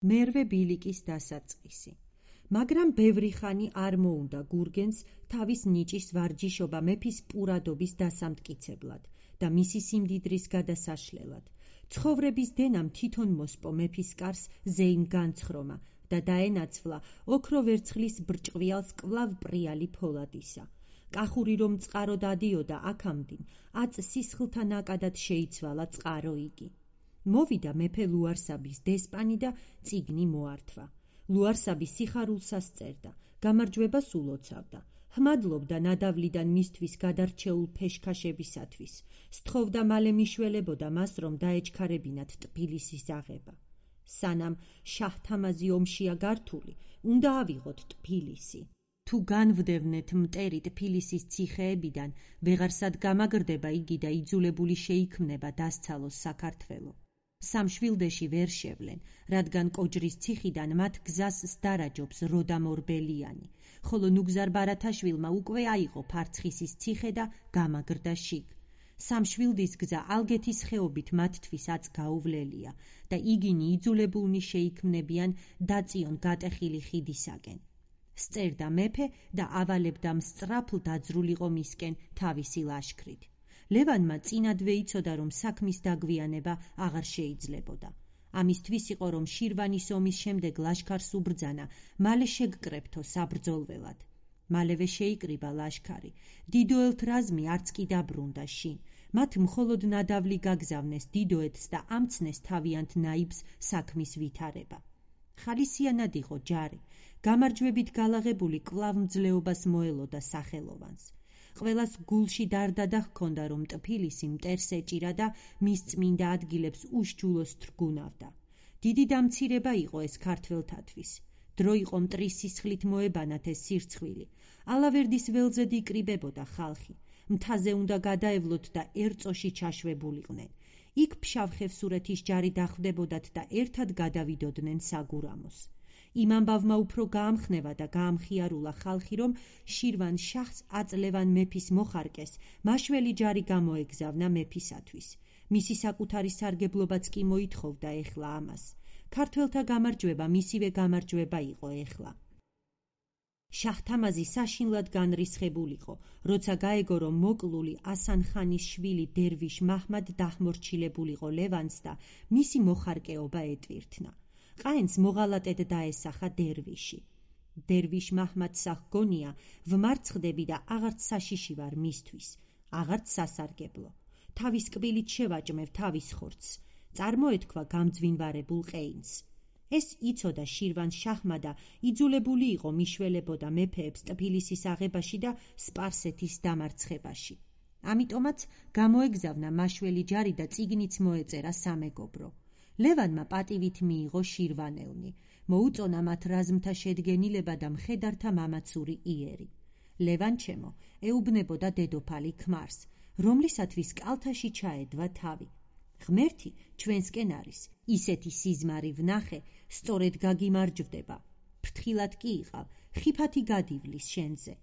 მერვე ბილიკის დასაწყისი. მაგრამ ბევრი ხანი არ მოუნდა გურგენს თავის ნიჭის ვარჯიშობა მეფის პურადობის დასამტკიცებლად და მისი სიმდიდრის გადასაშლელად. ცხოვრების დენამ თვითონ მოსპო მეფის კარს ზეიმ განცხრომა და დაენაცვლა ოქრო ვერცხლის ბრჭყვიალს კვლავ პრიალი ფოლადისა. კახური რომ წყარო დადიოდა აქამდინ, აწ სისხლთა ნაკადად შეიცვალა წყარო იგი. მოვიდა მეფე ლუარსაბის დესპანი და წიგნი მოართვა. ლუარსაბი სიხარულსას წერდა, გამარჯვებას ულოცავდა, ჰმადლობდა ნადავლიდან მისთვის გადარჩეულ ფეშქაშებისათვის, სთხოვდა მალე მიშველებოდა მას, რომ დაეჩქარებინათ ტფილისის აღება. სანამ შაჰ-თამაზი ომშია გართული, უნდა ავიღოთ ტფილისი. თუ განვდევნეთ მტერი ტფილისის ციხეებიდან, ვეღარსად გამაგრდება იგი და იძულებული შეიქმნება დასცალოს საქართველო. სამშვილდეში ვერ შევლენ, რადგან კოჯრის ციხიდან მათ გზას სდარაჯობს როდამ ორბელიანი, ხოლო ნუგზარ ბარათაშვილმა უკვე აიღო ფარცხისის ციხე და გამაგრდა შიგ. სამშვილდის გზა ალგეთის ხეობით მათთვის აწ გაუვლელია და იგინი იძულებულნი შეიქმნებიან დაწიონ გატეხილი ხიდისაკენ. სწერდა მეფე და ავალებდა მსწრაფლ დაძრულიყო მისკენ თავისი ლაშქრით. ლევანმა წინადვე იცოდა, რომ საქმის დაგვიანება აღარ შეიძლებოდა. ამისთვის იყო, რომ შირვანის ომის შემდეგ ლაშქარს უბრძანა, მალე შეგკრებთო საბრძოლველად. მალევე შეიკრიბა ლაშქარი. დიდოელთ რაზმი არც კი დაბრუნდა შინ. მათ მხოლოდ ნადავლი გაგზავნეს დიდოეთს და ამცნეს თავიანთ ნაიბს საქმის ვითარება. ხალისიანად იყო ჯარი. გამარჯვებით გალაღებული კვლავ მძლეობას მოელოდა სახელოვანს. ყველას გულში დარდადა ჰქონდა, რომ ტფილისი მტერს ეჭირა და მის წმინდა ადგილებს უშჯულოს თრგუნავდა. დიდი დამცირება იყო ეს ქართველთათვის. დრო იყო მტრის სისხლით მოებანათ ეს სირცხვილი. ალავერდის ველზედ იკრიბებოდა ხალხი. მთაზე უნდა გადაევლოთ და ერწოში ჩაშვებულიყვნენ. იქ ფშავ-ხევსურეთის ჯარი დახვდებოდათ და ერთად გადავიდოდნენ საგურამოს. იმ ამბავმა უფრო გაამხნევა და გაამხიარულა ხალხი, რომ შირვან შაჰს აწლევან მეფის მოხარკეს მაშველი ჯარი გამოეგზავნა მეფისათვის. მისი საკუთარი სარგებლობაც კი მოითხოვდა ეხლა ამას. ქართველთა გამარჯვება მისივე გამარჯვება იყო ეხლა. შაჰ-თამაზი საშინლად განრისხებულიყო, როცა გაეგო, რომ მოკლული ასან-ხანის შვილი დერვიშ მაჰმად დაჰმორჩილებულიყო ლევანს და მისი მოხარკეობა ეტვირთნა. ყაენს მოღალატედ დაესახა დერვიში. დერვიშ მაჰმადსა ჰგონია, ვმარცხდები და აღარც საშიში ვარ მისთვის, აღარც სასარგებლო. თავის კბილით შევაჭმევ თავის ხორცს, წარმოეთქვა გამძვინვარებულ ყეინს. ეს იცოდა შირვან შაჰმა და იძულებული იყო მიშველებოდა მეფეებს ტფილისის აღებაში და სპარსეთის დამარცხებაში. ამიტომაც გამოეგზავნა მაშველი ჯარი და წიგნიც მოეწერა სამეგობრო. ლევანმა პატივით მიიღო შირვანელნი, მოუწონა მათ რაზმთა შედგენილება და მხედართა მამაცური იერი. ლევანჩემო ეუბნებოდა დედოფალი ქმარს, რომლისათვის კალთაში ჩაედვა თავი. ღმერთი ჩვენსკენ არის, ისეთი სიზმარი ვნახე, სწორედ გაგიმარჯვდება. ფრთხილად კი იყავ, ხიფათი გადივლის შენზე.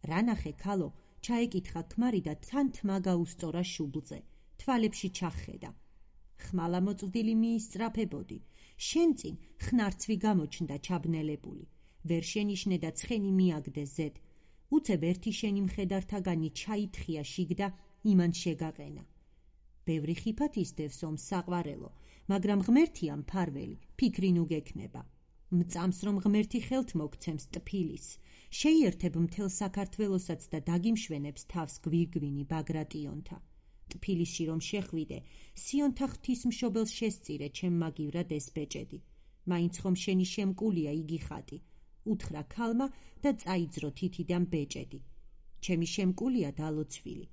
რა ნახე ქალო, ჩაეკითხა ქმარი და თან თმა გაუსწორა შუბლზე, თვალებში ჩახედა. ხმალა მოწვდილი მიისწრაფებოდი, შენ წინ ხნარცვი გამოჩნდა ჩაბნელებული, ვერ შენიშნე და ცხენი მიაგდე ზედ, უცებ ერთი შენი მხედართაგანი ჩაითხია შიგ და იმან შეგაყენა. ბევრი ხიფათ ისდევს ომს საყვარელო, მაგრამ ღმერთია მფარველი, ფიქრი ნუ გექნება. მწამს რომ ღმერთი ხელთ მოგცემს ტფილისს, შეიერთებ მთელ საქართველოსაც და დაგიმშვენებს თავს გვირგვინი ბაგრატიონთა. ტფილისში რომ შეხვიდე, სიონთა ღვთისმშობელს შესწირე ჩემ მაგივრად ეს ბეჭედი. მაინც ხომ შენი შემკულია იგი ხატი. უთხრა ქალმა და წაიძრო თითიდან ბეჭედი. ჩემი შემკულია დალოცვილი.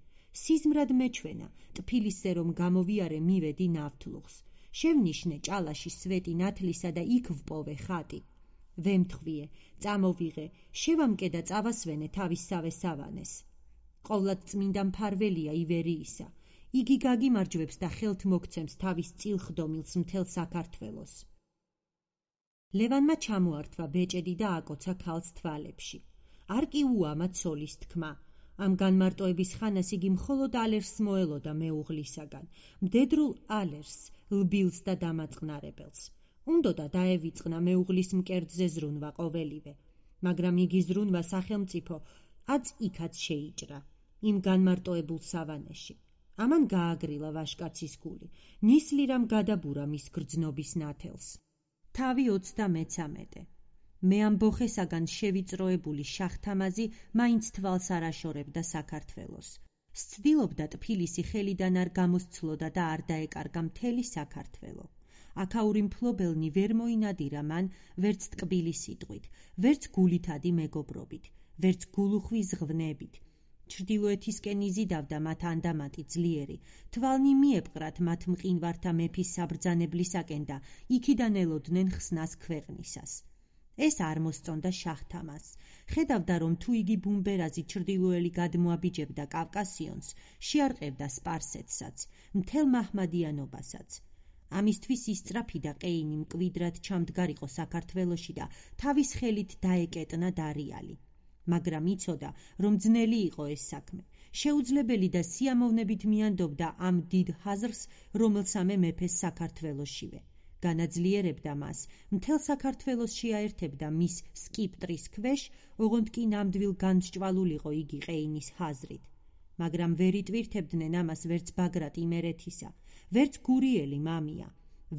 სიზმრად მეჩვენა, ტფილისზე რომ გამოვიარე მივედი ნავთლუხს. შევნიშნე ჭალაში სვეტი ნათლისა და იქ ვპოვე ხატი. ვემთხვიე, წამოვიღე, შევამკე და წავასვენე თავისსავე სავანეს. ყოვლად წმინდა მფარველია ივერიისა. იგი გაგიმარჯვებს და ხელთ მოგცემს თავის წილხდომილს მთელ საქართველოს. ლევანმა ჩამოართვა ბეჭედი და აკოცა ქალს თვალებში. არ კი უამა ცოლის თქმა. ამ განმარტოების ხანას იგი მხოლოდ ალერსს მოელოდა მეუღლისაგან, მდედრულ ალერსს, ლბილს და დამაწყნარებელს. უნდოდა დაევიწყნა მეუღლის მკერდზე ზრუნვა ყოველივე, მაგრამ იგი ზრუნვა სახელმწიფო აც-იქაც შეიჭრა, იმ განმარტოებულ სავანეში. ამან გააგრილა ვაშკაცის გული, ნისლი რამ გადაბურა მის გრძნობის ნათელს. თავი 33. მე ამ ბოხესაგან შევიწროებული შაჰ-თამაზი მაინც თვალს არ აშორებდა საქართველოს. სცდილობდა ტფილისი ხელიდან არ გამოსცლოდა და არ დაეკარგა მთელი საქართველო. აქაური მფლობელნი ვერ მოინადირა მან ვერც ტკბილი სიტყვით, ვერც გულითადი მეგობრობით, ვერც გულუხვი ზღვნებით. ჩრდილოეთისკენ იზიდავდა მათ ანდამატი ძლიერი, თვალნი მიეპყრათ მათ მყინვართა მეფის საბრძანებლისაკენ და იქიდან ელოდნენ ხსნას ქვეყნისას. ეს არ მოსწონდა შაჰ-თამაზს. ხედავდა, რომ თუ იგი ბუმბერაზი ჩრდილოელი გადმოაბიჯებდა კავკასიონს, შეარყევდა სპარსეთსაც, მთელ მაჰმადიანობასაც. ამისთვის ისწრაფიდა ყეინი მკვიდრად ჩამდგარიყო საქართველოში და თავის ხელით დაეკეტნა დარიალი. მაგრამ იცოდა, რომ ძნელი იყო ეს საქმე. შეუძლებელი და სიამოვნებით მიანდობდა ამ დიდ ჰაზრს, რომელსამე მეფეს საქართველოშივე. განაძლიერებდა მას, მთელ საქართველოს შეაერთებდა მის სკიპტრის ქვეშ, ოღონდ კი ნამდვილ განსჭვალულიყო იგი ყეინის ჰაზრით. მაგრამ ვერ იტვირთებდნენ ამას ვერც ბაგრატ იმერეთისა, ვერც გურიელი მამია,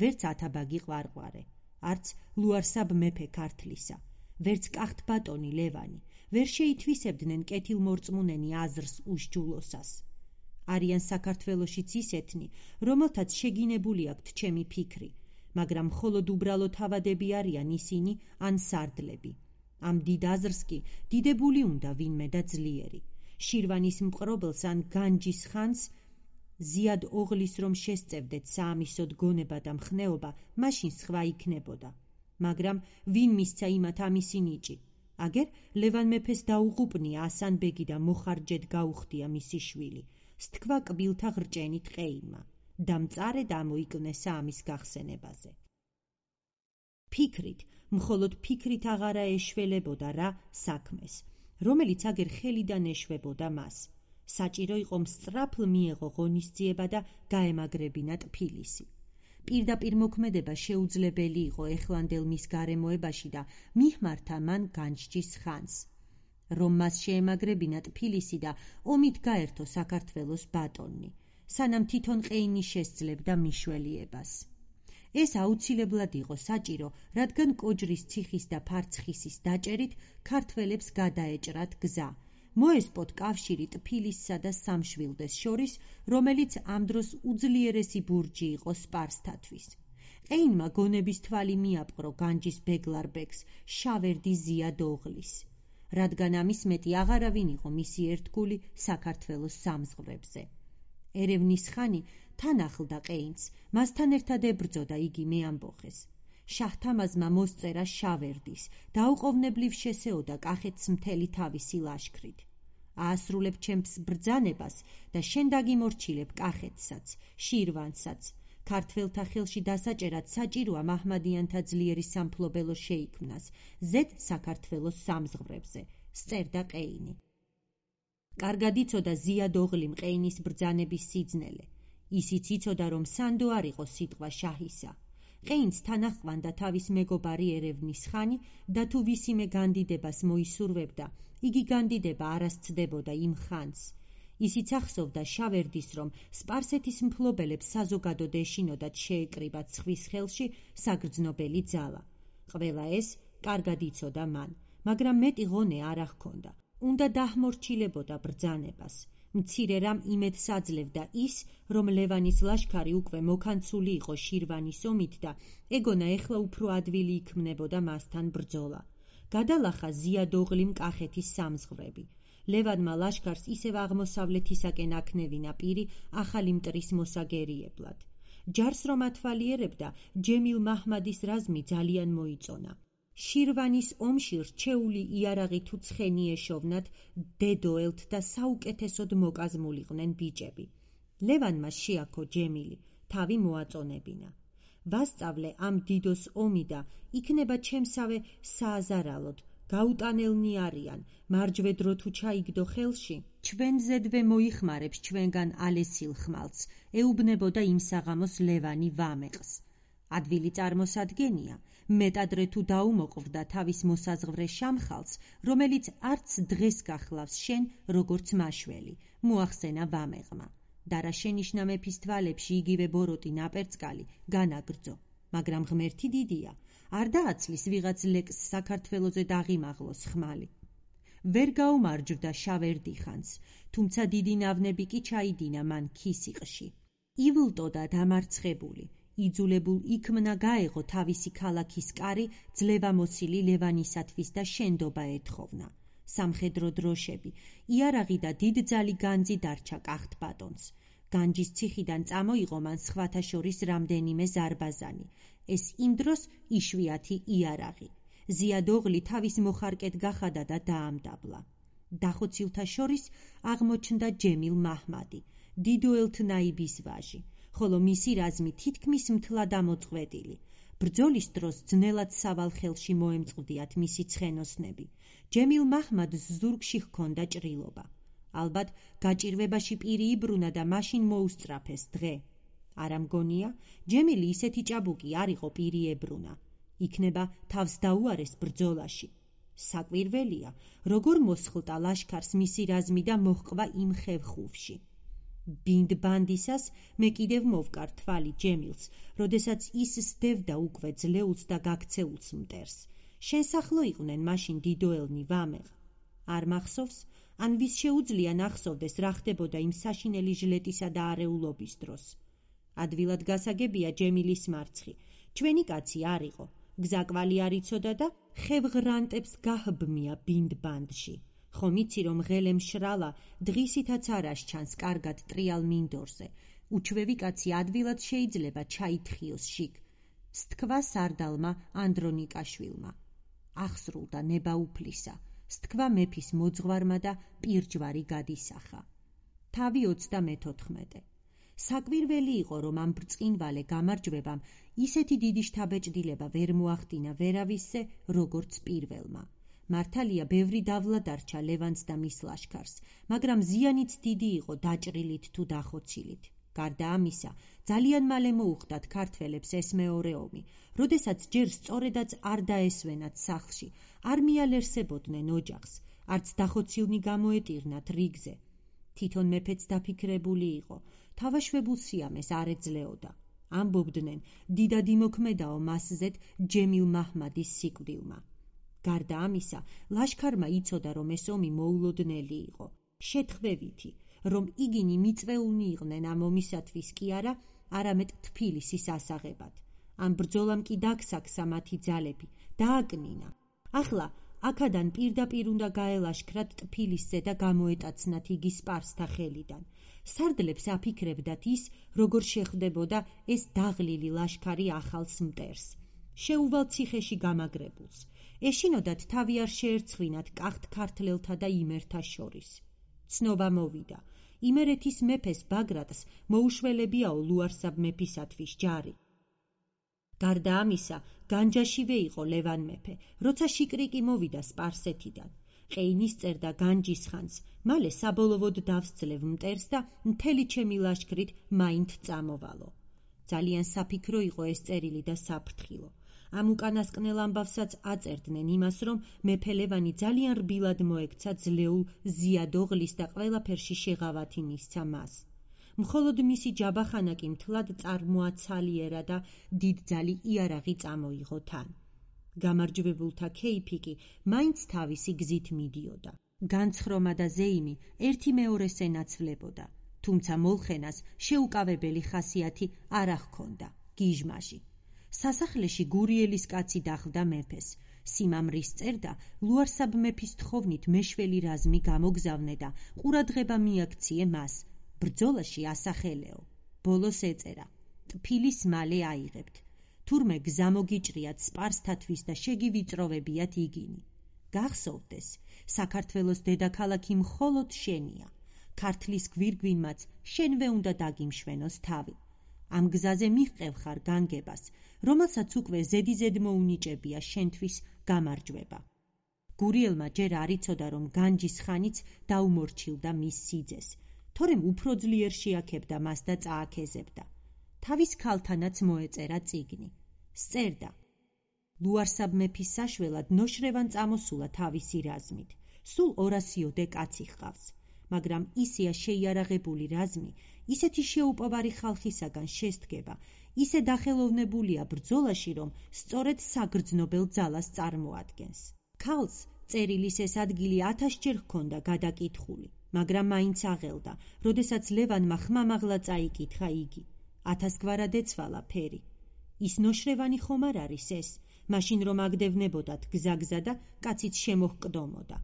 ვერც ათაბაგი ყვარყვარე, არც ლუარსაბ მეფე ქართლისა, ვერც კახთ ბატონი ლევანი, ვერ შეითვისებდნენ კეთილმორწმუნენი აზრს უშჯულოსას. არიან საქართველოშიც ისეთნი, რომელთაც შეგინებული აქვთ ჩემი ფიქრი, მაგრამ მხოლოდ უბრალო თავადები არიან ისინი ან სარდლები. ამ დიდ აზრს კი დიდებული უნდა ვინმე და ძლიერი. შირვანის მყრობელს ან განჯის ხანს ზიად ოღლის რომ შესწევდეთ საამისოდ გონება და მხნეობა, მაშინ სხვა იქნებოდა. მაგრამ ვინ მისცა იმათ ამისი ნიჭი? აგერ ლევან მეფეს დაუღუპნია ასანბეგი და მოხარჯედ გაუხდია მისი შვილი. სთქვა კბილთა ღრჭენით ყეინმა. დამწარე და ამოიკვნესა ამის გახსენებაზე. ფიქრით, მხოლოდ ფიქრით აღარა ეშველებოდა რა საქმეს, რომელიც აგერ ხელიდან ეშვებოდა მას. საჭირო იყო მსწრაფლ მიეღო ღონისძიება და გაემაგრებინა ტფილისი. პირდაპირ მოქმედება შეუძლებელი იყო ეხლანდელ მის გარემოებაში და მიჰმართა მან განჯის ხანს. რომ მას შეემაგრებინა ტფილისი და ომით გაერთო საქართველოს ბატონი, სანამ თვითონ ყეინი შესძლებდა მიშველიებას. ეს აუცილებლად იყო საჭირო, რადგან კოჯრის ციხის და ფარცხისის დაჭერით ქართველებს გადაეჭრათ გზა. მოესპოთ კავშირი ტფილისსა და სამშვილდეს შორის, რომელიც ამ დროს უძლიერესი ბურჯი იყო სპარსთათვის. ყეინმა გონების თვალი მიაპყრო განჯის ბეგლარბეგს, შავერდი ზიად ოღლის. რადგან ამის მეტი აღარავინ იყო მისი ერთგული საქართველოს სამზღვრებზე. ერევნის ხანი თან ახლდა ყეინს, მასთან ერთად ებრძოდა იგი მეამბოხეს. შაჰ-თამაზმა მოსწერა შავერდის, დაუყოვნებლივ შესეოდა კახეთს მთელი თავისი ლაშქრით. აასრულებ ჩემს ბრძანებას და შენ დაგიმორჩილებ კახეთსაც, შირვანსაც. ქართველთა ხელში დასაჭერად საჭიროა მაჰმადიანთა ძლიერი სამფლობელო შეიქმნას, ზედ საქართველოს სამზღვრებზე, სწერდა ყეინი. კარგად იცოდა ზიად ოღლიმ ყეინის ბრძანების სიძნელე. ისიც იცოდა, რომ სანდო არ იყო სიტყვა შაჰისა. ყეინს თან აჰყვანდა თავის მეგობარი ერევნის ხანი და თუ ვისიმე განდიდებას მოისურვებდა, იგი განდიდება არ ასცდებოდა იმ ხანს. ისიც ახსოვდა შავერდის, რომ სპარსეთის მფლობელებს საზოგადოდ ეშინოდათ შეეკრიბათ სხვის ხელში საგრძნობელი ძალა. ყველა ეს კარგად იცოდა მან, მაგრამ მეტი ღონე არ ახქონდა. უნდა დაჰმორჩილებოდა ბრძანებას. მცირე რამ იმედს აძლევდა ის, რომ ლევანის ლაშქარი უკვე მოკანცული იყო შირვანის ომით და ეგონა ეხლა უფრო ადვილი იქმნებოდა მასთან ბრძოლა. გადალახა ზიად ოღლიმ კახეთის სამზღვრები. ლევანმა ლაშქარს ისევ აღმოსავლეთისაკენ აქნევინა პირი ახალი მტრის მოსაგერიებლად. ჯარს რომ ათვალიერებდა, ჯემილ მაჰმადის რაზმი ძალიან მოიწონა. შირვანის ომში რჩეული იარაღი თუ ცხენი ეშოვნათ დედოელთ და საუკეთესოდ მოკაზმულიყვნენ ბიჭები. ლევანმა შეაქო ჯემილი, თავი მოაწონებინა. ვასწავლე ამ დიდოს ომი და იქნება ჩემსავე სააზარალოდ, გაუტანელნი არიან, მარჯვედრო თუ ჩაიგდო ხელში, ჩვენზედვე მოიხმარებს ჩვენგან ალესილ ხმალს, ეუბნებოდა იმ საღამოს ლევანი ვამეყს. ადვილი წარმოსადგენია, მეტადრე თუ დაუმოყვრდა თავის მოსაზღვრე შამხალს, რომელიც არც დღეს გახლავს შენ, როგორც მაშველი, მოახსენა ვამეღმა. და რა შენიშნა მეფის თვალებში იგივე ბოროტი ნაპერწკალი, განაგრძო, მაგრამ ღმერთი დიდია, არ დააცლის ვიღაც ლეკს საქართველოზე დაღიმაღლოს ხმალი. ვერ გაუმარჯვდა შავერდიხანს, თუმცა დიდი ნავნები კი ჩაიდინა მან ქისიყში. ივლტო და დამარცხებული, იძულებულ იქმნა გაეღო თავისი ქალაქის კარი ძლევამოსილი ლევანისათვის და შენდობა ეთხოვნა. სამხედრო დროშები, იარაღი და დიდძალი განძი დარჩა კახთბატონს. განჯის ციხიდან წამოიღო მან სხვათა შორის რამდენიმე ზარბაზანი. ეს იმ დროს იშვიათი იარაღი. ზიადოღლი თავის მოხარკედ გახადა და დაამდაბლა. დახოცილთა შორის აღმოჩნდა ჯემილ მაჰმადი, დიდო ელთნაიბის ვაჟი, ხოლო მისი რაზმი თითქმის მთლად ამოწყვეტილი. ბრძოლის დროს ძნელად სავალ ხელში მოემწყდიათ მისი ცხენოსნები. ჯემილ მაჰმადს ზურგში ჰქონდა ჭრილობა. ალბათ გაჭირვებაში პირი იბრუნა და მაშინ მოუსწრაფეს დღე. არა მგონია, ჯემილი ისეთი ჭაბუკი არ იყო პირი ებრუნა. იქნება თავს დაუარეს ბრძოლაში. საკვირველია, როგორ მოსხლტა ლაშქარს მისი რაზმი და მოჰყვა იმ ხევხუვში. ბინდბანდისას მე კიდევ მოვკარ თვალი ჯემილს, როდესაც ის სდევდა უკვე ძლეულს და გაქცეულს მტერს. შენს ახლო იყვნენ მაშინ დიდოელნი ვამეღ. არ მახსოვს, ან ვის შეუძლია ნახსოვდეს რა ხდებოდა იმ საშინელი ჟლეტისა და არეულობის დროს. ადვილად გასაგებია ჯემილის მარცხი, ჩვენი კაცი არ იყო, გზაკვალი არ იცოდა და ხევღრანტებს გაჰბმია ბინდბანდში. ხომ იცი რომ ღელე მშრალა დღისითაც არ ასჩანს კარგად ტრიალ მინდორზე. უჩვევი კაცი ადვილად შეიძლება ჩაითხრიოს შიგ. სთქვა სარდალმა ანდრონიკაშვილმა. ახსრულდა ნება უფლისა. სთქვა მეფის მოძღვარმა და პირჯვარი გადისახა. თავი 34. საკვირველი იყო, რომ ამ ბრწყინვალე გამარჯვებამ ისეთი დიდი შთაბეჭდილება ვერ მოახდინა ვერავისზე, როგორც პირველმა. მართალია ბევრი დავლა დარჩა ლევანს და მის ლაშქარს, მაგრამ ზიანიც დიდი იყო დაჭრილით თუ დახოცილით. გარდა ამისა, ძალიან მალე მოუხდათ ქართველებს ეს მეორე ომი, როდესაც ჯერ სწორედაც არ დაესვენათ სახლში, არ მიალერსებოდნენ ოჯახს, არც დახოცილნი გამოეტირნათ რიგზე. თვითონ მეფეც დაფიქრებული იყო, თავაშვებულ სიამეს არ ეძლეოდა. ამბობდნენ, დიდად იმოქმედაო მასზეთ ჯემილ მაჰმადის სიკვდილმა. გარდა ამისა, ლაშქარმა იცოდა, რომ ეს ომი მოულოდნელი იყო. შეთხვევითი, რომ იგინი მიწვეულნი იყვნენ ამ ომისათვის კი არა, არამედ თბილისის ასაღებად. ამ ბრძოლამ კი დაგსაქსა მათი ძალები, დააკნინა. ახლა აქედან პირდაპირ უნდა გაელაშქრათ თბილისზე და გამოეტაცნათ იგი სპარსთა ხელიდან. სარდლებს აფიქრებდათ ის, როგორ შეხვდებოდა ეს დაღლილი ლაშქარი ახალს მტერს. შეუვალ ციხეში გამაგრებულს. ეშინოდათ თავი არ შეერცხვინათ კახთ ქართლელთა და იმერთა შორის. ცნობა მოვიდა. იმერეთის მეფეს ბაგრატს მოუშველებიაო ლუარსაბ მეფისათვის ჯარი. გარდა ამისა, განჯაშივე იყო ლევან მეფე, როცა შიკრიკი მოვიდა სპარსეთიდან. ყეინის წერდა განჯის ხანს, მალე საბოლოოდ დავსძლევ მტერს და მთელი ჩემი ლაშქრით მაინც წამოვალო. ძალიან საფიქრო იყო ეს წერილი და საფრთხილო. ამ უკანასკნელ ამბავსაც აწერდნენ იმას, რომ მეფე ლევანი ძალიან რბილად მოექცა ძლეულ ზიადოღლის და ყველაფერში შეღავათი მისცა მას. მხოლოდ მისი ჯაბახანა კი მთლად წარმოაცალიერა და დიდძალი იარაღი წამოიღო თან. გამარჯვებულთა ქეიფი კი მაინც თავისი გზით მიდიოდა. განცხრომა და ზეიმი ერთი მეორეს ენაცვლებოდა, თუმცა მოლხენას შეუკავებელი ხასიათი არ ჰქონდა, გიჟმაჟი. სასახლეში გურიელის კაცი დახვდა მეფეს. სიმამრის წერდა ლუარსაბ მეფის თხოვნით მეშველი რაზმი გამოგზავნე და ყურადღება მიაქციე მას. ბრძოლაში ასახელეო. ბოლოს ეწერა: ტფილის მალე აიღებთ. თურმე გზა მოგიჭრიათ სპარსთათვის და შეგივიწროვებიათ იგინი. გახსოვდეს, საქართველოს დედაქალაქი მხოლოდ შენია. ქართლის გვირგვინმაც შენვე უნდა დაგიმშვენოს თავი. ამ გზაზე მიჰყევ ხარ განგებას, რომელსაც უკვე ზედიზედ მოუნიჭებია შენთვის გამარჯვება. გურიელმა ჯერ არ იცოდა, რომ განჯის ხანიც დაუმორჩილდა მის სიძეს, თორემ უფრო ძლიერ შეაქებდა მას და წააქეზებდა. თავის ქალთანაც მოეწერა წიგნი. სწერდა: ლუარსაბ მეფის საშველად ნოშრევან წამოსულა თავისი რაზმით. სულ 200 კაცი ჰყავს, მაგრამ ისეა შეიარაღებული რაზმი, ისეთი შეუპოვარი ხალხისაგან შესდგება, ისე დახელოვნებულია ბრძოლაში, რომ სწორედ საგრძნობელ ძალას წარმოადგენს. ქალს წერილის ეს ადგილი 1000-ჯერ ჰქონდა გადაკითხული, მაგრამ მაინც აღელდა, როდესაც ლევანმა ხმამაღლა წაიკითხა იგი. 1000 გვარად ეცვალა ფერი. ის ნოშრევანი ხომ არ არის ეს? მაშინ რომ აგდევნებოდათ გზაგზა და კაციც შემოჰკდომოდა.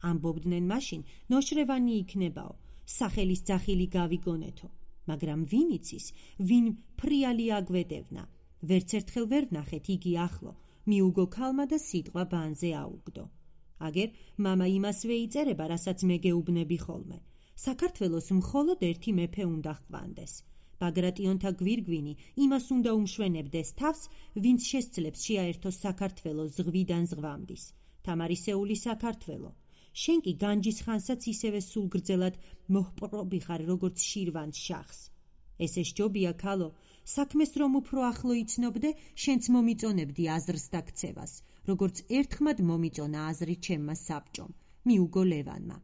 ამბობდნენ მაშინ, ნოშრევანი იქნებაო, სახელის ძახილი გავიგონეთო, მაგრამ ვინ იცის, ვინ ფრიალი აგვედევნა. ვერც ერთხელ ვერ ვნახეთ იგი ახლო, მიუგო ქალმა და სიტყვა ბანზე აუგდო. აგერ მამა იმას ვეიწერება, რასაც მე გეუბნები ხოლმე. საქართველოს მხოლოდ ერთი მეფე უნდა ჰყვანდეს. ბაგრატიონთა გვირგვინი იმას უნდა უმშვენებდეს თავს, ვინც შესძლებს შეაერთოს საქართველო ზღვიდან ზღვამდის. თამარისეული საქართველო. შენ კი განჯის ხანსაც ისევე სულ გრძელად მოჰპყრობი ხარ, როგორც შირვანს შახს. ესე სჯობია ქალო, საქმეს რომ უფრო ახლო იცნობდე, შენც მომიწონებდი აზრს და ქცევას, როგორც ერთხმად მომიწონა აზრი ჩემმა საბჭომ, მიუგო ლევანმა.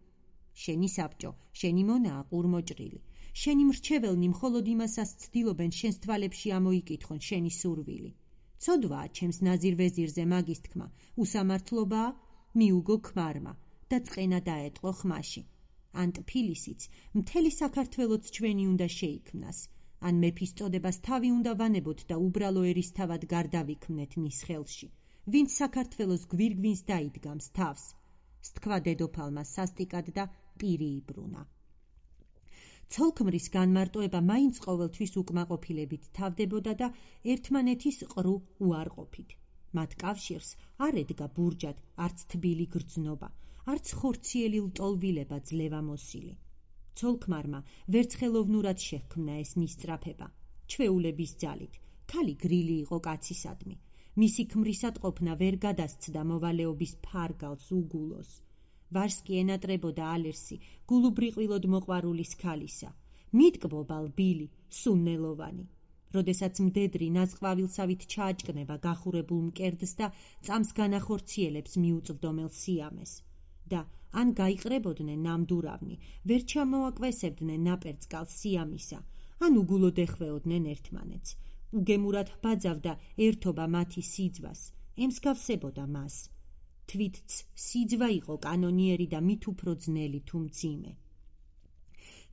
შენი საბჭო, შენი მონაა ყურმოჭრილი. შენი მრჩეველნი მხოლოდ იმასაც ცდილობენ შენს თვალებში ამოიკითხონ შენი სურვილი. ცოდვაა ჩემს ნაზირ ვეზირზე მაგის თქმა, უსამართლობაა, მიუგო ქმარმა და წყენა დაეტყო ხმაში. ან ტფილისიც, მთელი საქართველოც ჩვენი უნდა შეიქმნას, ან მეფის წოდებას თავი უნდა ვანებოთ და უბრალო ერისთავად გარდავიქმნეთ მის ხელში, ვინც საქართველოს გვირგვინს დაიდგამს თავს. სთქვა დედოფალმა სასტიკად და პირი იბრუნა. ცოლქმრის განმარტოება მაინც ყოველთვის უკმაყოფილებით თავდებოდა და ერთმანეთის ყრუ უარყოფით. მათ კავშირს არ ედგა ბურჯად არც თბილი გრძნობა, არც ხორციელი ლტოლვილება ძლევამოსილი. ცოლქმარმა ვერც ხელოვნურად შეჰქმნა ეს მისწრაფება. ჩვეულების ძალით, ქალი გრილი იყო კაცისადმი. მისი ქმრისადყოფნა ვერ გადასცდა მოვალეობის ფარგალს უგულოს. ვარსკი ენატრებოდა ალერსი, გულუბრიყვილოდ მოყვარულის ქალისა. მიტკბობა ლბილი, სუნნელოვანი. როდესაც მდედრი ნაზყვავილსავით ჩააჭკნება გახურებულ მკერდს და წამს განახორციელებს მიუწვდომელ სიამეს. და ან გაიყრებოდნენ ნამდურავნი, ვერ ჩამოაკვესებდნენ ნაპერწკალს სიამისა, ან უგულოდ ეხვეოდნენ ერთმანეთს. უგემურად ბაძავდა ერთობა მათი სიძვას, ემსგავსებოდა მას. თვითც სიძვა იყო კანონიერი და მით უფრო ძნელი თუ მძიმე.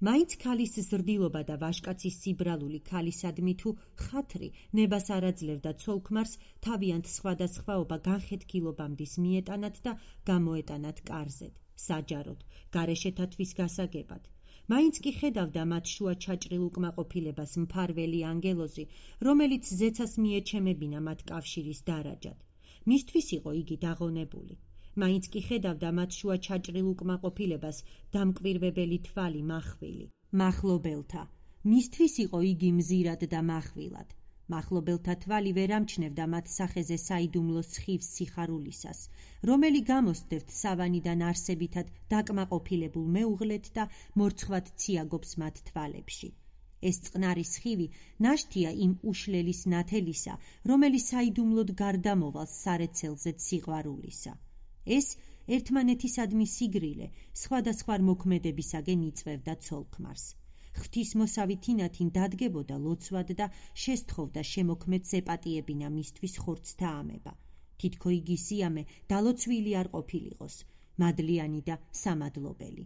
მაინც ქალის ზრდილობა და ვაჟკაცის სიბრალული ქალისადმი თუ ხათრი ნებას არ აძლევდა ცოლქმარს თავიანთ სხვადასხვაობა განხეთქილობამდის მიეტანათ და გამოეტანათ კარზედ, საჯაროდ, გარეშეთათვის გასაგებად. მაინც კი ხედავდა მათ შუა ჩაჭრილ უკმაყოფილებას მფარველი ანგელოზი, რომელიც ზეცას მიეჩემებინა მათ კავშირის დარაჯად. მისთვის იყო იგი დაღონებული. მაინც კი ხედავდა მათ შუა ჩაჭრილ უკმაყოფილებას დამკვირვებელი თვალი მახვილი. მახლობელთა. მისთვის იყო იგი მზირად და მახვილად. მახლობელთა თვალი ვერ ამჩნევდა მათ სახეზე საიდუმლო სხივს სიხარულისას, რომელი გამოსდევთ სავანიდან არსებითად დაკმაყოფილებულ მეუღლეთ და მორცხვად ციაგობს მათ თვალებში. ეს წყნარი სხივი ნაშთია იმ უშლელის ნათელისა, რომელიც საიდუმლოდ გარდამოვალს სარეცელზეც სიყვარულისა. ეს ერთმანეთისადმი სიგრილე სხვადასხვა მოქმედებისაგენ იწვევდა ცოლქმარს. ღვთისმოსავი თინათინ დადგებოდა ლოცვად და შესთხოვდა შემოქმედს ეპატიებინა მისთვის ხორცთა ამება. თითქო იგი სიამე დალოცვილი არ ყოფილიყოს, მადლიანი და სამადლობელი.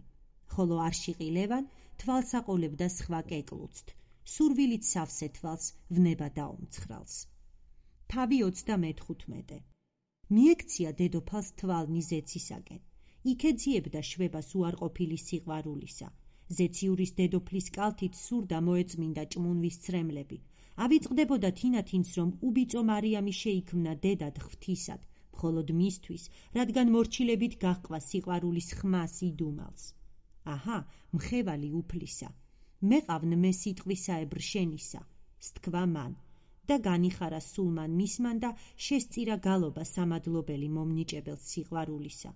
ხოლო არშიყი ლევან თვალს აყოლებდა სხვა კეკლუცთ, სურვილით სავსე თვალს ვნება დაუმცხრალს. თავი 35. მიექცია დედოფალს თვალნი ზეცისაკენ. იქ ეძიებდა შვებას უარყოფილი სიყვარულისა. ზეციურის დედოფლის კალთით სურდა მოეწმინდა ჭმუნვის ცრემლები. ავიწყდებოდა თინათინს, რომ უბიწო მარიამი შეიქმნა დედად ღვთისად, მხოლოდ მისთვის, რადგან მორჩილებით გაჰყვა სიყვარულის ხმას იდუმალს. აჰა, მხევალი უფლისა. მეყავნ მე სიტყვისაებრ შენისა, სთქვა მან. და განიხარა სულმან მისმან და შესწირა გალობა სამადლობელი მომნიჭებელს სიყვარულისა.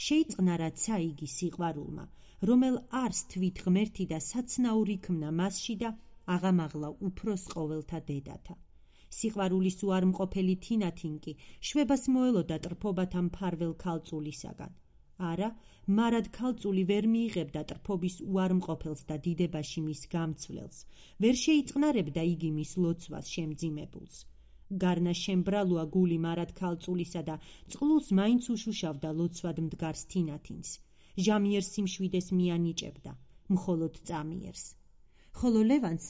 შეიწყნარა ცა იგი სიყვარულმა, რომელ არს თვით ღმერთი და საცნაური ქმნა მასში და აღამაღლა უფროს ყოველთა დედათა. სიყვარულის უარმყოფელი თინათინ კი შვებას მოელოდა ტრფობათა მფარველ ქალწულისაგან. არა, მარად ქალწული ვერ მიიღებდა ტრფობის უარმყოფელს და დიდებაში მის გამცვლელს, ვერ შეიწყნარებდა იგი მის ლოცვას შემძიმებულს. გარნა შემბრალოა გული მარად ქალწულისა და წყლულს მაინც უშუშავდა ლოცვად მდგარს თინათინს. ჟამიერ სიმშვიდეს მიანიჭებდა, მხოლოდ წამიერს. ხოლო ლევანს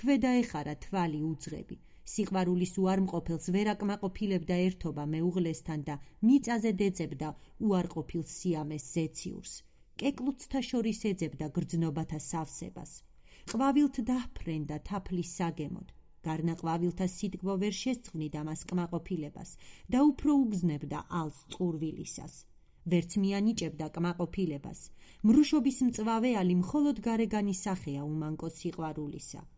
ქვედა ეხარა თვალი უძღები, სიყვარულის უარმყოფელს ვერ აკმაყოფილებდა ერთობა მეუღლესთან და მიწაზე დეწებდა უარყოფილ სიამეს ზეციურს. კეკლუცთა შორის ეძებდა გრძნობათა სავსებას. ყვავილთ დაჰფრენდა თაფლის საგემოდ. გარნა ყვავილთა სიტკბო ვერ შესწვნიდა მას კმაყოფილებას და უფრო უგზნებდა ალს წყურვილისას. ვერც მიანიჭებდა კმაყოფილებას. მრუშობის მწვავეალი მხოლოდ გარეგანი სახეა უმანკო სიყვარულისა.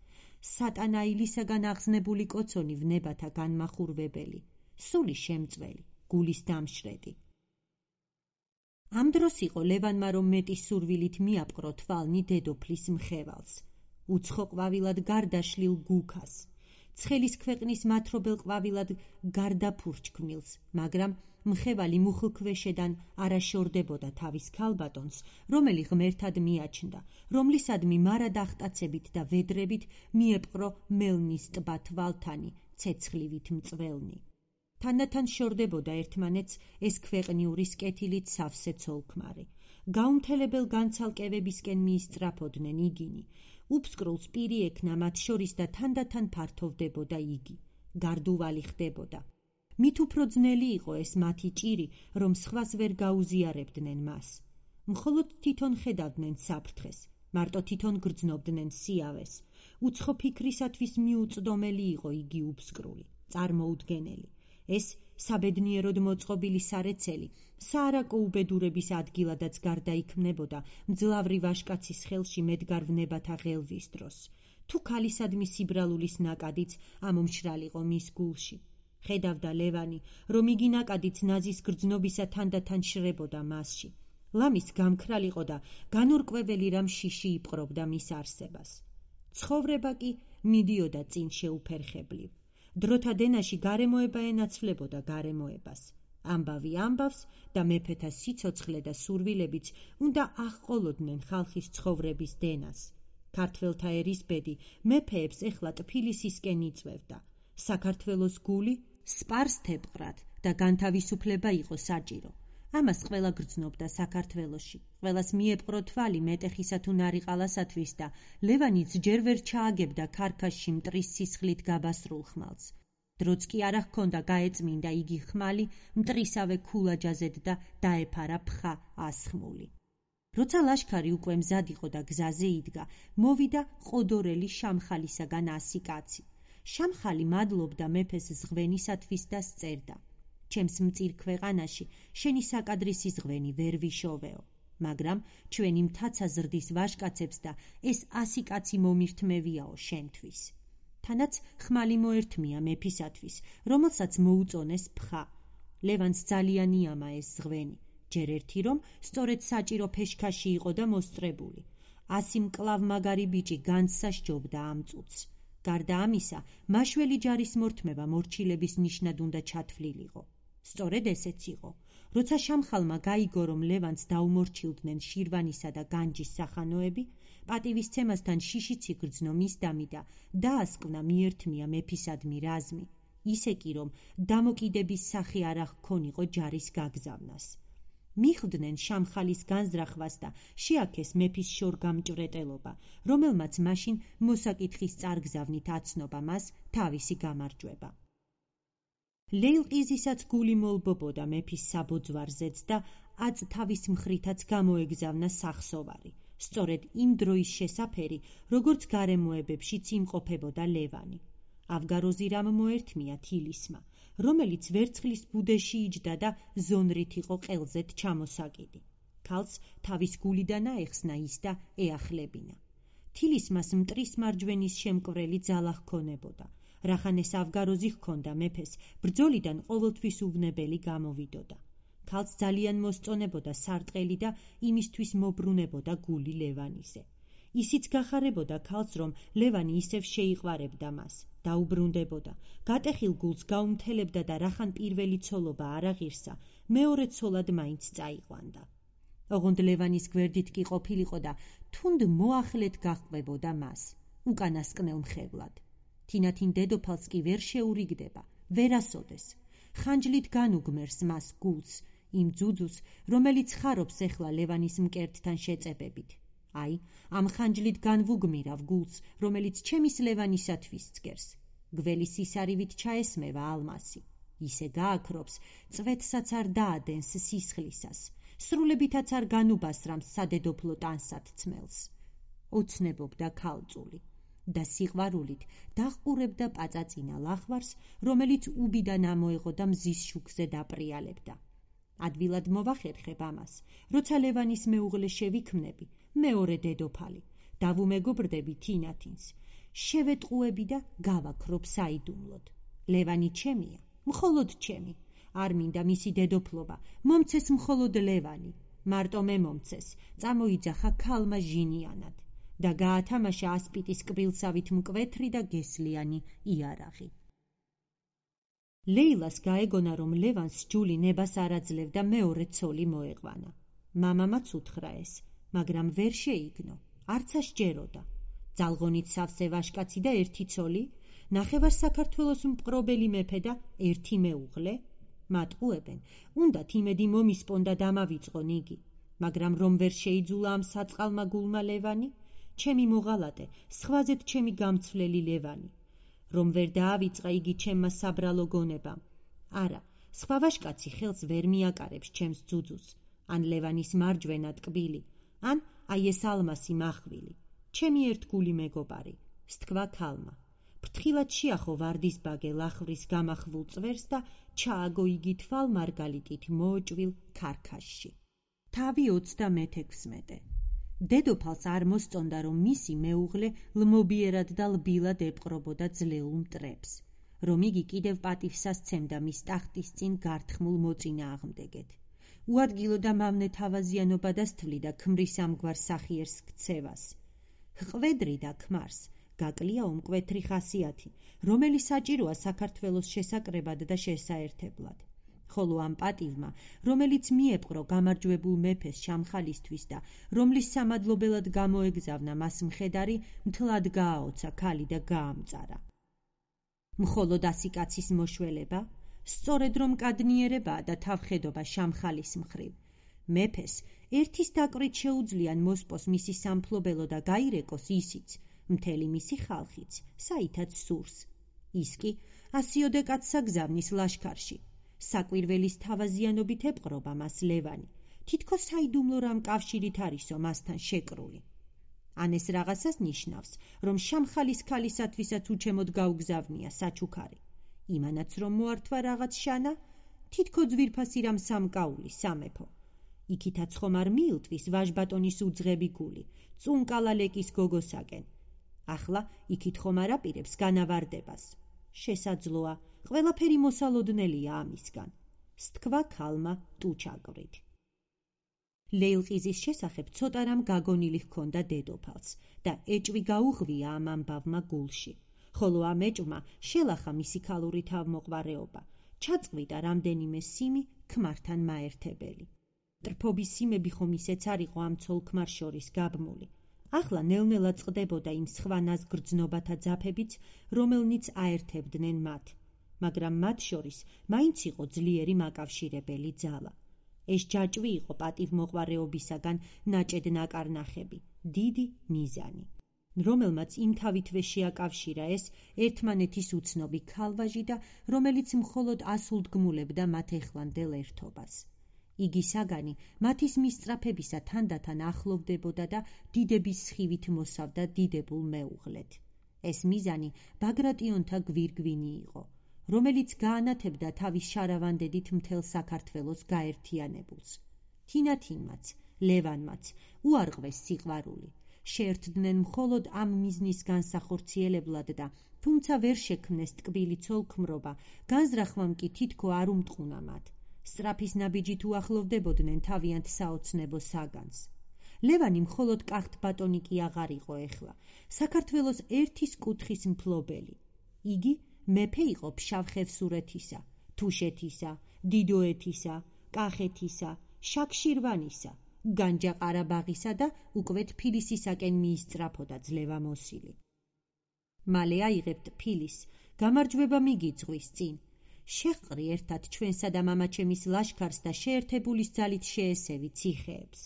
სატანაილისაგან აღზნებული კოცონი ვნებათა განმახურვებელი, სული შემწველი, გულის დამშრედი. ამ დროს იყო ლევანმა რომ მეტი სურვილით მიაპყრო თვალნი დედოფლის მხევალს, უცხო ყვავილად გარდაშლილ გუქას, ცხელის ქვეყნის მათრობელ ყვავილად გარდაფურჩქმილს, მაგრამ მხევალი მუხლქვეშედან არაშორდებოდა თავის ქალბატონს, რომელი ღმერთად მიაჩნდა, რომლისადმი მარად ახტაცებით და ვედრებით მიეპყრო მელნის ტბა თვალთანი, ცეცხლივით მწველნი. თანდათან შორდებოდა ერთმანეთს ეს ქვეყნიურის კეთილით სავსე ცოლქმარი. გაუმთელებელ განცალკევებისკენ მიისწრაფოდნენ იგინი. უფსკრულს პირი ექნა მათ შორის და თანდათან ფართოვდებოდა იგი. გარდუვალი ხდებოდა. მით უფრო ძნელი იყო ეს მათი ჭირი, რომ სხვას ვერ გაუზიარებდნენ მას. მხოლოდ თვითონ ხედავდნენ საფრთხეს, მარტო თვითონ გრძნობდნენ სიავეს. უცხო ფიქრისათვის მიუწდომელი იყო იგი უფსკრული, წარმოუდგენელი. ეს საბედნიეროდ მოწყობილი სარეცელი, საარაკო უბედურების ადგილადაც გარდაიქმნებოდა მძლავრი ვაჟკაცის ხელში მედგარ ვნებათა ღელვის დროს. თუ ქალისადმი სიბრალულის ნაკადიც ამომშრალიყო მის გულში. ხედავდა ლევანი, რომ იგი ნაკადიც ნაზის გრძნობისა თანდათან შრებოდა მასში. ლამის გამქრალიყო და განურკვეველი რამ შიში იპყრობდა მის არსებას. ცხოვრება კი მიდიოდა წინ შეუფერხებლივ. დროთა დენაში გარემოება ენაცვლებოდა გარემოებას. ამბავი ამბავს და მეფეთა სიცოცხლე და სურვილებიც უნდა აღყოლოდნენ ხალხის ცხოვრების დენას. ქართველთა ერისბედი მეფეებს ეხლა ტფილისისკენ იწვევდა. საქართველოს გული სპარსთეპყრად და განთავისუფლება იყო საჭირო. ამას ყველა გრძნობდა საქართველოში. ყველას მიეპყრო თვალი მეტეხისა თუ ნარიყალასათვის და ლევანიც ჯერ ვერ ჩააგებდა ქარქაშში მტრის სისხლით გაბასრულ ხმალს. დროც კი არ ჰქონდა გაეწმინდა იგი ხმალი მტრისავე ქულაჯაზედ და დაეფარა ფხა ასხმული. როცა ლაშქარი უკვე მზად იყო და გზაზე იდგა, მოვიდა ყოდორელი შამხალისაგან 100 კაცი. შამხალი მადლობდა მეფეს ზღვენისათვის და სწერდა: ჩემს მწირ ქვეყანაში შენი საკადრისი ზღვენი ვერ ვიშოვეო, მაგრამ ჩვენი მთაცა ზრდის ვაჟკაცებს და ეს 100 კაცი მომირთმევიაო შენთვის. თანაც ხმალი მოერთმია მეფისათვის, რომელსაც მოუწონეს ფხა. ლევანს ძალიან იამა ეს ზღვენი, ჯერ ერთი რომ სწორედ საჭირო ფეშქაში იყო და მოსწრებული. 100 მკლავმაგარი ბიჭი განძსა სჯობდა ამ წუთს. გარდა ამისა, მაშველი ჯარის მორთმევა მორჩილების ნიშნად უნდა ჩათვლილიყო. სწორედ ესეც იყო. როცა შამხალმა გაიგო, რომ ლევანს დაუმორჩილდნენ შირვანისა და განჯის სახანოები, პატივისცემასთან შიშიც იგრძნო მის დამი და დაასკვნა მიერთმია მეფისადმი რაზმი, ისე კი რომ დამოკიდების სახე არ ჰქონიყო ჯარის გაგზავნას. მიხვდნენ შამხალის განზრახვას და შეაქეს მეფის შორგამჭვრეტელობა, რომელმაც მაშინ მოსაკითხის წარგზავნით აცნობა მას თავისი გამარჯვება. ლეილყიზისაც გული მოლბობოდა მეფის საბოძვარზეც და აწ თავის მხრითაც გამოეგზავნა სახსოვარი, სწორედ იმ დროის შესაფერი, როგორც გარემოებებშიც იმყოფებოდა ლევანი. ავგაროზირამ მოერთმია თილისმა, რომელიც ვერცხლის ბუდეში იჯდა და ზონრით იყო ყელზეთ ჩამოსაკიდი. ქალს თავის გულიდან აეხსნა ის და ეახლებინა. თილისმას მტრის მარჯვენის შემკვრელი ძალა ჰქონებოდა. რახან ეს ავგაროზი ჰქონდა მეფეს, ბრძოლიდან ყოველთვის უვნებელი გამოვიდოდა. ქალს ძალიან მოსწონებოდა სარტყელი და იმისთვის მობრუნებოდა გული ლევანიზე. ისიც გახარებოდა ქალს, რომ ლევანი ისევ შეიყვარებდა მას, დაუბრუნდებოდა, გატეხილ გულს გაუმთელებდა და რახან პირველი ცოლობა არ აღირსა, მეორე ცოლად მაინც წაიყვანდა. ოღონდ ლევანის გვერდით კი ყოფილიყო და თუნდ მოახლედ გაჰყვებოდა მას, უკანასკნელ მხევლად. თინათინ დედოფალს კი ვერ შეურიგდება, ვერასოდეს. ხანჯლით განუგმერს მას გულს, იმ ძუძუს, რომელიც ხარობს ეხლა ლევანის მკერდთან შეწებებით. აი, ამ ხანჯლით განვუგმირავ გულს, რომელიც ჩემის ლევანისათვის წკერს. გველის სისარივით ჩაესმევა ალმასი. ისე გააქრობს, წვეთსაც არ დაადენს სისხლისას, სრულებითაც არ განუბასრამს სადედოფლო ტანსად ცმელს. ოცნებობდა ქალწული და სიყვარულით დახყურებდა პაწაწინა ლახვარს, რომელიც უბიდან ამოეღო და მზის შუქზე დაპრიალებდა. ადვილად მოვახერხებ ამას, როცა ლევანის მეუღლე შევიქმნები, მეორე დედოფალი, დავუმეგობრდები თინათინს, შევეტყუები და გავაქრობ საიდუმლოდ. ლევანი ჩემია, მხოლოდ ჩემი, არ მინდა მისი დედოფლობა, მომცეს მხოლოდ ლევანი, მარტო მე მომცეს, წამოიძახა ქალმა ჟინიანად და გაათამაშა ასპიტის კბილსავით მკვეთრი და გესლიანი იარაღი. ლეილას გაეგონა, რომ ლევანს ჯული ნებას არ აძლევდა მეორე ცოლი მოეყვანა. მამამაც უთხრა ეს, მაგრამ ვერ შეიგნო, არც ასჯეროდა. ძალღონით სავსე ვაჟკაცი და ერთი ცოლი, ნახევარ საქართველოს მპყრობელი მეფე და ერთი მეუღლე. მატყუებენ, უნდათ იმედი მომისპონ და დამავიწყონ იგი, მაგრამ რომ ვერ შეიძულა ამ საწყალმა გულმა ლევანი, ჩემი მოღალატე, სხვაზედ ჩემი გამცვლელი ლევანი, რომ ვერ დაავიწყა იგი ჩემმა საბრალო გონებამ. არა, სხვა ვაჟკაცი ხელს ვერ მიაკარებს ჩემს ძუძუს, ან ლევანის მარჯვენა ტკბილი, ან აი ეს ალმასი მახვილი, ჩემი ერთგული მეგობარი, სთქვა ქალმა. ფრთხილად შეახო ვარდისბაგე ლახვრის გამახვილ წვერს და ჩააგო იგი თვალ მარგალიტით მოოჭვილ ქარქაშში. თავი 36. დედოფალს არ მოსწონდა, რომ მისი მეუღლე ლმობიერად და ლბილად ეპყრობოდა ძლეულ მტრებს, რომ იგი კიდევ პატივსასცემდა მის ტახტის წინ გართხმულ მოწინააღმდეგეთ. უადგილო და მავნე თავაზიანობა დასთვლიდა ქმრის ამგვარ სახიერს ქცევას. ჰყვედრი და ქმარს გაკლია უმკვეთრი ხასიათი, რომელიც საჭიროა საქართველოს შესაკრებად და შესაერთებლად. ხოლო ამ პატივმა, რომელიც მიეპყრო გამარჯვებულ მეფეს შამხალისთვის და რომლის სამადლობელად გამოეგზავნა მას მხედარი, მთლად გააოცა ქალი და გაამწარა. მხოლოდ ასი კაცის მოშველება, სწორედ რომ კადნიერებაა და თავხედობა შამხალის მხრივ. მეფეს ერთის დაკვრით შეუძლიან მოსპოს მისი სამფლობელო და გაირეკოს ისიც, მთელი მისი ხალხიც, საითაც სურს. ის კი ასიოდე კაცსა გზავნის ლაშქარში. საკვირველის თავაზიანობით ეპყრობა მას ლევანი, თითქოს საიდუმლო რამ კავშირით არისო მასთან შეკრული. ან ეს რაღაცას ნიშნავს, რომ შამხალის ქალისათვისაც უჩემოდ გაუგზავნია საჩუქარი. იმანაც რომ მოართვა რაღაც შანა, თითქო ძვირფასი რამ სამკაული სამეფო. იქითაც ხომ არ მიილტვის ვაჟბატონის უძღები გული, წუნკალა ლეკის გოგოსაკენ. ახლა იქით ხომ არ აპირებს განავარდებას. შესაძლოა, ყველაფერი მოსალოდნელია ამისგან, სთქვა ქალმა ტუჩაკვრით. ლეილყიზის შესახებ ცოტა რამ გაგონილი ჰქონდა დედოფალს და ეჭვი გაუღვია ამ ამბავმა გულში, ხოლო ამ ეჭვმა შელახა მისი ქალური თავმოყვარეობა, ჩაწყვიტა რამდენიმე სიმი ქმართან მაერთებელი. ტრფობის სიმები ხომ ისეც არ იყო ამ ცოლ-ქმარ შორის გაბმული. ახლა ნელ-ნელა წყდებოდა იმ სხვა ნაზგრძნობათა ძაფებიც, რომელნიც აერთებდნენ მათ, მაგრამ მათ შორის მაინც იყო ძლიერი მაკავშირებელი ძალა. ეს ჯაჭვი იყო პატივმოყვარეობისაგან ნაჭედ ნაკარნახები, დიდი მიზანი, რომელმაც იმ თავითვე შეაკავშირა ეს ერთმანეთის უცნობი ქალვაჟი და რომელიც მხოლოდ ასულდგმულებდა მათ ეხლანდელ ერთობას. იგი საგანი მათის მისწრაფებისა თანდათან ახლოვდებოდა და დიდების სხივით მოსავდა დიდებულ მეუღლეთ. ეს მიზანი ბაგრატიონთა გვირგვინი იყო, რომელიც გაანათებდა თავის შარავანდედით მთელ საქართველოს გაერთიანებულს. თინათინმაც, ლევანმაც უარყვეს სიყვარული, შეერთდნენ მხოლოდ ამ მიზნის განსახორციელებლად და თუმცა ვერ შექმნეს ტკბილი ცოლ-ქმრობა, განზრახვამ კი თითქო არ უმტყუნა მათ. სწრაფის ნაბიჯით უახლოვდებოდნენ თავიანთ საოცნებო საგანს. ლევანი მხოლოდ კახთბატონი კი აღარ იყო ეხლა, საქართველოს ერთის კუთხის მფლობელი. იგი მეფე იყო ფშავ-ხევსურეთისა, თუშეთისა, დიდოეთისა, კახეთისა, შაქშირვანისა, განჯა-ყარაბაღისა და უკვე თბილისისაკენ მიისწრაფოდა ძლევამოსილი. მალე აიღებთ თბილის, გამარჯვება მიგიძღვის წინ. შეჰყრი ერთად ჩვენსა და მამაჩემის ლაშქარს და შეერთებულის ძალით შეესევი ციხეებს.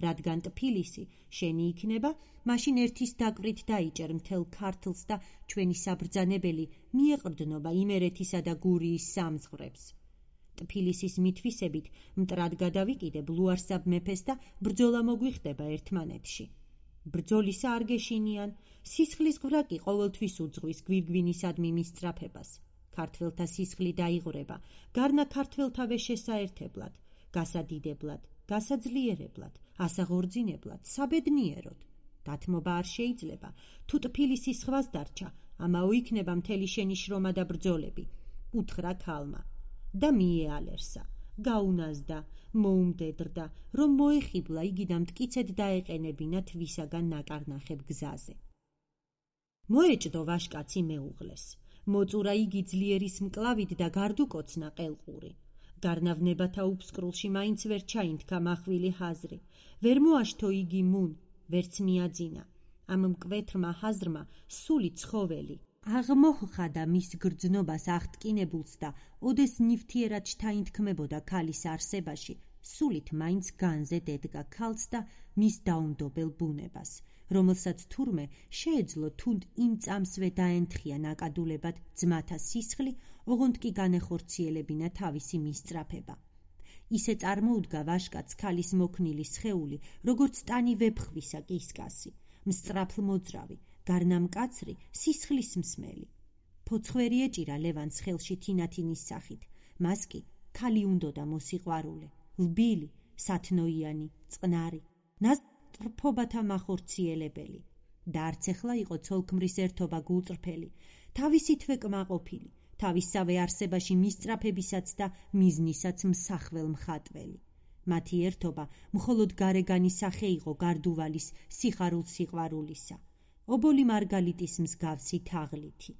რადგან თბილისი შენი იქნება, მაშინ ერთის დაკვრით დაიჭერ მთელ ქართლს და ჩვენი საბრძანებელი მიეყრდნობა იმერეთისა და გურიის სამძღვრებს. თბილისის მითვისებით მტრად გადავიკიდებ ლუარსაბ მეფეს და ბრძოლა მოგვიხდება ერთმანეთში. ბრძოლისა არ გეშინიან, სისხლის ღვრაკი ყოველთვის უძღვის გვირგვინისადმი მისწრაფებას. ქართველთა სისხლი დაიღვრება, გარნა ქართველთავე შესაერთებლად, გასადიდებლად, გასაძლიერებლად, ასაღორძინებლად, საბედნიეროდ. დათმობა არ შეიძლება, თუ თბილისი სხვას დარჩა, ამაო იქნება მთელი შენი შრომა და ბრძოლები. უთხრა ქალმა და მიეალერსა, გაუნაზდა, მოუმდედრდა, რომ მოეხიბლა იგი და მტკიცედ დაეყენებინა თვისაგან ნაკარნახებ გზაზე. მოეჭდო ვაშკაცი მეუღლეს, მოწურა იგი ძლიერის მკლავით და გარდუკოცნა ყელყური. გარნავნებათა უფსკრულში მაინც ვერ ჩაინთქა მახვილი ჰაზრი, ვერ მოაშთო იგი მუნ, ვერც მიაძინა. ამ მკვეთრმა ჰაზრმა სული ცხოველი აღმოჰხადა მის გრძნობას აღტკინებულს და ოდეს ნივთიერად ჩაინთქმებოდა ქალის არსებაში, სულით მაინც განზე დედგა ქალს და მის დაუნდობელ ბუნებას, რომელსაც თურმე შეეძლო თუნდ იმ წამსვე დაენთხია ნაკადულებად ძმათა სისხლი, ოღონდ კი განეხორციელებინა თავისი მისწრაფება. ისე წარმოუდგა ვაშკაც ქალის მოქნილი სხეული, როგორც ტანი ვეფხვისა კისკასი, მსწრაფლმოძრავი, გარნამკაცრი, სისხლის მსმელი. ფოცხვერი ეჭირა ლევანს ხელში თინათინის სახით, მას კი ქალი უნდოდა მოსიყვარულე, ლბილი, სათნოიანი, წყნარი, ნასტრფობათა მახორციელებელი. და არც ეხლა იყო ცოლქმრის ერთობა გულწრფელი, თავისითვე კმაყოფილი, თავისსავე არსებაში მისწრაფებისაც და მიზნისაც მსახվել მხატველი. მათი ერთობა მხოლოდ გარეგანი სახე იყო გარდუვალის სიხარულ სიყვარულისა, ობოლი მარგალიტის მსგავსი თაღლითი.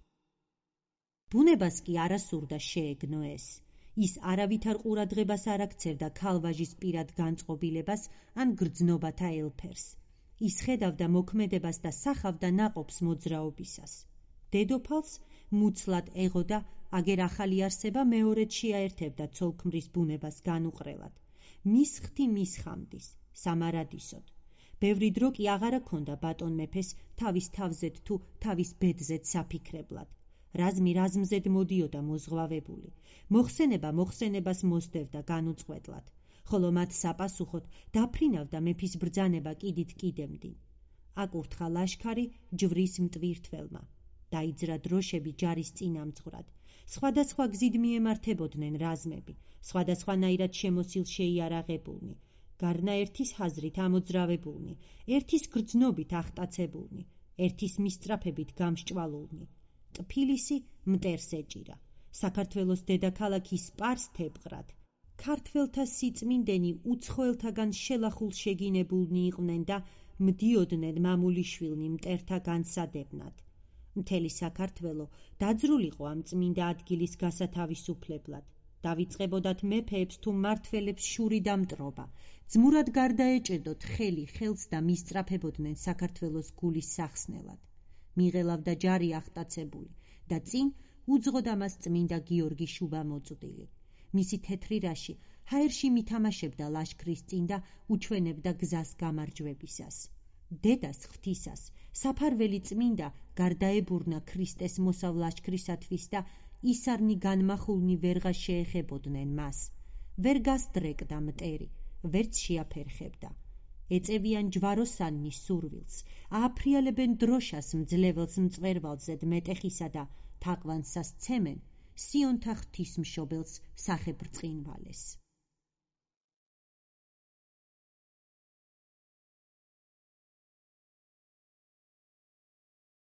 ბუნებას კი არა სურდა შეეგნო ეს. ის არავითარ ყურადღებას არ აქცევდა ქალვაჟის პირად განწყობილებას ან გრძნობათა ელფერს. ის ხედავდა მოქმედებას და სახავდა ნაყოფს მოძრაობისას. დედოფალს მუცლად ეღოდა, აგერ ახალი არსება მეორედ შეაერთებდა ცოლქმრის ბუნებას განუყრელად. მის ხთი მის ხამდის, სამარადისოდ. ბევრი დრო კი აღარა ქონდა ბატონ მეფეს თავის თავზედ თუ თავის ბედზედ საფიქრებლად. რაზმი რაზმზედ მოდიოდა მოზღვავებული, მოხსენება მოხსენებას მოსდევდა განუწყვეტლად, ხოლო მათ საპასუხოდ დაფრინავდა მეფის ბრძანება კიდით კიდემდინ. აკურთხა ლაშქარი ჯვრის მტვირთველმა, დაიძრა დროშები ჯარის წინამძღვრად, სხვადასხვა გზით მიემართებოდნენ რაზმები, სხვადასხვანაირად შემოსილ შეიარაღებულნი, გარნა ერთის ჰაზრით ამოძრავებულნი, ერთის გრძნობით ახტაცებულნი, ერთის მისწრაფებით გამსჭვალულნი. თბილისი მტერს ეჭირა, საქართველოს დედაქალაქი სპარს თეპყრად. ქართველთა სიწმინდენი უცხოელთაგან შელახულ შეგინებულნი იყვნენ და მდიოდნენ მამულიშვილნი მტერთა განსადებნად. მთელი საქართველო დაძრულიყო ამ წმინდა ადგილის გასათავისუფლებლად. დავიწყებოდათ მეფეებს თუ მმართველებს შური და მტრობა, ძმურად გარდაეჭედოთ ხელი ხელს და მისწრაფებოდნენ საქართველოს გულის სახსნელად. მიღელავდა ჯარი ახტაცებული და წინ უძღოდა მას წმინდა გიორგი შუბამოწვდილი. მისი თეთრი რაში ჰაერში მითამაშებდა ლაშქრის წინ და უჩვენებდა გზას გამარჯვებისას. დედას ღვთისას საფარველი წმინდა გარდაებურნა ქრისტეს მოსავ ლაშქრისათვის და ისარნი განმახულნი ვერღა შეეხებოდნენ მას. ვერ გასდრეკდა მტერი, ვერც შეაფერხებდა. ეწევიან ჯვაროსანნი სურვილს, ააფრიალებენ დროშას მძლეველს მწვერვალზედ მეტეხისა და თაყვანსას ცემენ სიონთა ღვთისმშობელს სახებრწყინვალეს.